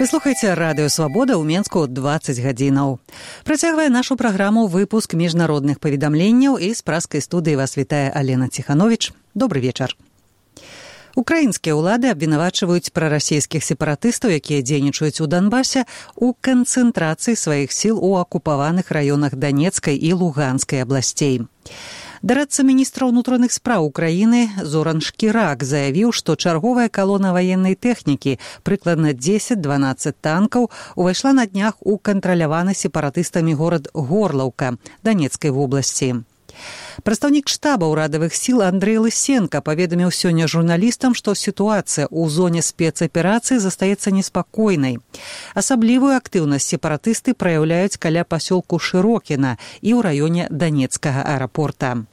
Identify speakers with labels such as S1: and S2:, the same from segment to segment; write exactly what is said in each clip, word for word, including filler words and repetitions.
S1: Вы слухаеце радыё Свабода ў Менску дваццаць гадзінаў. Працягвае нашу праграму выпуск міжнародных паведамленняў, і з праскай студыі вас вітае Алена Ціхановіч. Добры вечар. Украінскія ўлады абвінавачваюць прарасійскіх сепаратыстаў, якія дзейнічаюць у Донбасе, у канцэнтрацыі сваіх сіл у акупаваных раёнах Данецкай і Луганскай абласцей. Дарадца міністра ўнутраных спраў Украіны Зоран Шкірак заявіў, што чарговая калона ваеннай тэхнікі, прыкладна дзесяць-дванаццаць танкаў, увайшла на днях у кантраляваны сепаратыстамі горад Горлаўка Данецкай вобласці. Прадстаўнік штаба ўрадавых сіл Андрэй Лысенка паведаміў сёння журналістам, што сітуацыя ў зоне спецаперацыі застаецца неспакойнай. Асаблівую актыўнасць сепаратысты праяўляюць каля пасёлку Шырокіна і ў раёне Данецкага аэрапорта.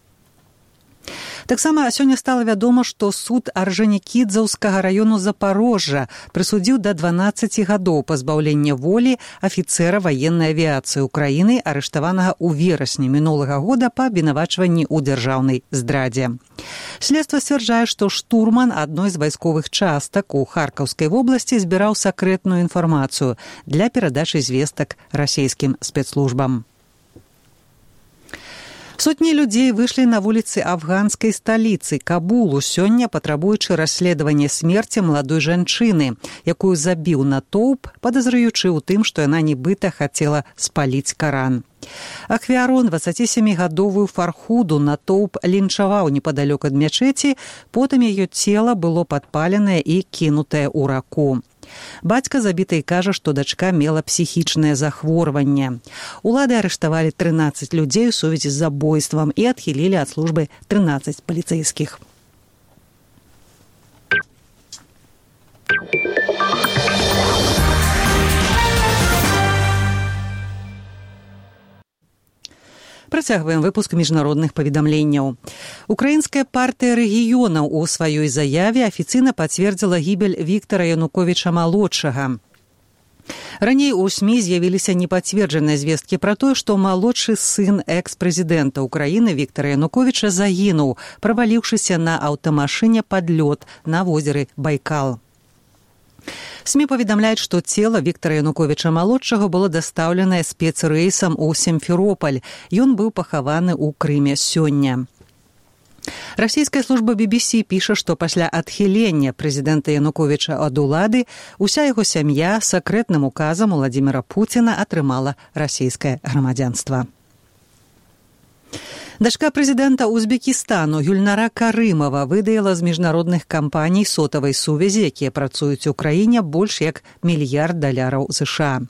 S1: Таксама сёння стала вядома, што суд Арджанікідзеўскага раёну Запарожжа прысудзіў да дванаццаці гадоў пазбаўлення волі афіцэра ваеннай авіяцыі Украіны, арыштаванага ў верасні мінулага года па абвінавачванні ў дзяржаўнай здрадзе. Следства сцвярджае, што штурман адной з вайсковых частак у Харкаўскай вобласці збіраў сакрэтную інфармацыю для перадачы звестак расійскім спецслужбам. Сотні людзей выйшлі на вуліцы афганскай сталіцы Кабулу сёння, патрабуючы расследавання смерці маладой жанчыны, якую забіў натоўп, падазраючы ў тым, што яна нібыта хацела спаліць Каран. Ахвяру, дваццацісямігадовую Фархуду, натоўп лінчаваў непадалёк ад мячэці, потым яе цела было падпаленае і кінутае ў раку. Бацька забітай кажа, што дачка мела псіхічнае захворванне. Улады арыштавалі трынаццаць людзей у сувязі з забойствам і адхілілі ад службы трынаццаць паліцэйскіх. Працягваем выпуск міжнародных паведамленняў. Украінская партыя рэгіёнаў у сваёй заяве афіцыйна пацвердзіла гібель Віктара Януковіча-малодшага. Раней у СМІ з'явіліся непацверджаныя звесткі пра тое, што малодшы сын экс-прэзідэнта Украіны Віктара Януковіча загінуў, праваліўшыся на аўтамашыне пад лёд на возеры Байкал. СМІ паведамляюць, што цела Віктара Януковіча-малодшага было дастаўленае спецрэйсам у Сімферопаль. Ён быў пахаваны ў Крыме сёння. Расійская служба би би сі піша, што пасля адхілення прэзідэнта Януковіча ад улады уся яго сям'я сакрэтным указам Уладзіміра Пуціна атрымала расійскае грамадзянства. Дачка прэзідэнта Узбекістану Гюльнара Карымова выдаяла з міжнародных кампаній сотавай сувязі, якія працуюць у краіне, больш як мільярд даляраў США.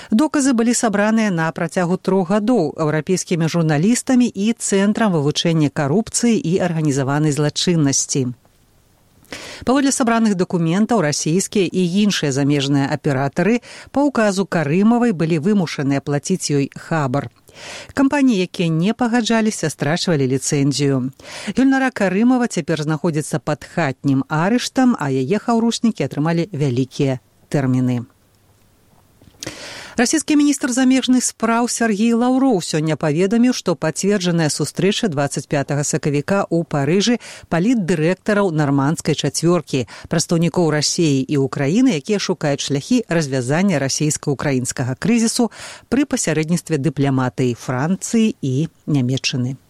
S1: Доказы былі сабраныя на працягу трох гадоў еўрапейскімі журналістамі і Цэнтрам вывучэння карупцыі і арганізаванай злачыннасці. Паводле сабраных дакументаў, расійскія і іншыя замежныя аператары па ўказу Карымавай былі вымушаныя плаціць ёй хабар. Кампаніі, якія не пагаджаліся, страчвалі ліцэнзію. Гюльнара Карымова цяпер знаходзіцца пад хатнім арыштам, а яе хаўрушнікі атрымалі вялікія тэрміны. Расійскі міністр замежных спраў Сергей Лаўроў сёння паведаміў, што пацверджаная сустрэча дваццаць пятага сакавіка ў Парыжы палітдырэктараў нармандскай чацвёркі, прадстаўнікоў Расіі і Украіны, якія шукаюць шляхі развязання расійска-украінскага крызісу пры пасярэдніцтве дыпламатыі Францыі і Нямецчыны.